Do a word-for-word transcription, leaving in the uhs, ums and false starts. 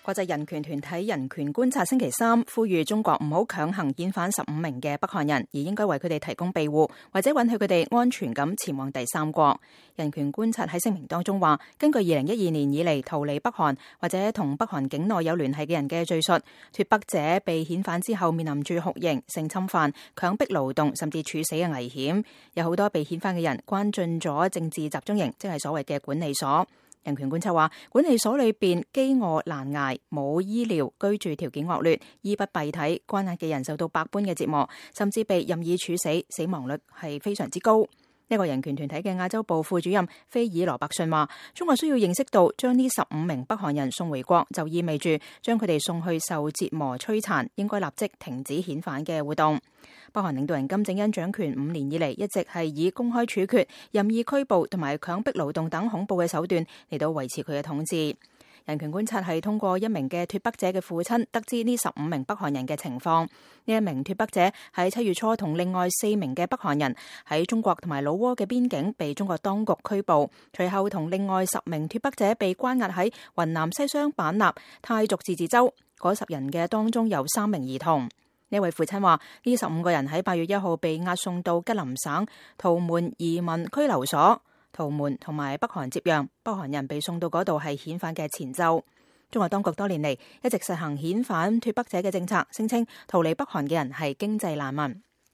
國際人權團體人權觀察星期三呼籲中國唔好強行遣返十五名嘅北韓人，而應該為佢哋提供庇護，或者允許佢哋安全咁前往第三國。人權觀察喺聲明當中話，根據二零一二年以嚟逃離北韓或者同北韓境內有聯繫嘅人嘅敘述，脫北者被遣返之後面臨住酷刑、性侵犯、強迫勞動甚至處死嘅危險。有好多被遣返嘅人關進咗政治集中營，即係所謂嘅管理所。人權觀察話，管理所裏邊飢餓難捱，冇醫療，居住條件惡劣，衣不蔽體，關押嘅人受到百般嘅折磨，甚至被任意處死，死亡率係非常之高。呢個人權團體嘅亞洲部副主任菲爾羅伯遜話，中國需要認識到，將呢十五名北韓人送回國，就意味住將佢哋送去受折磨摧殘，應該立即停止遣返嘅活動。北韓領導人金正恩掌權五年以嚟，一直係以公開處決、任意拘捕同埋強迫勞動等恐怖嘅手段嚟到維持佢嘅統治。人權觀察係通過一名嘅脫北者嘅父親得知呢十五名北韓人嘅情況。呢一名脫北者喺七月初同另外四名嘅北韓人喺中國同埋老撾嘅邊境被中國當局拘捕，隨後同另外十名脫北者被關押喺雲南西雙版納泰族自治州。嗰十人嘅當中有三名兒童。呢位父親話，呢十五個人喺八月一號被押送到吉林省圖門移民拘留所。圖門同埋北韓接壤，北韓人被送到嗰度係遣返嘅前奏。中國當局多年嚟一直實行遣返脫北者嘅政策，聲稱逃離北韓嘅人係經濟難民。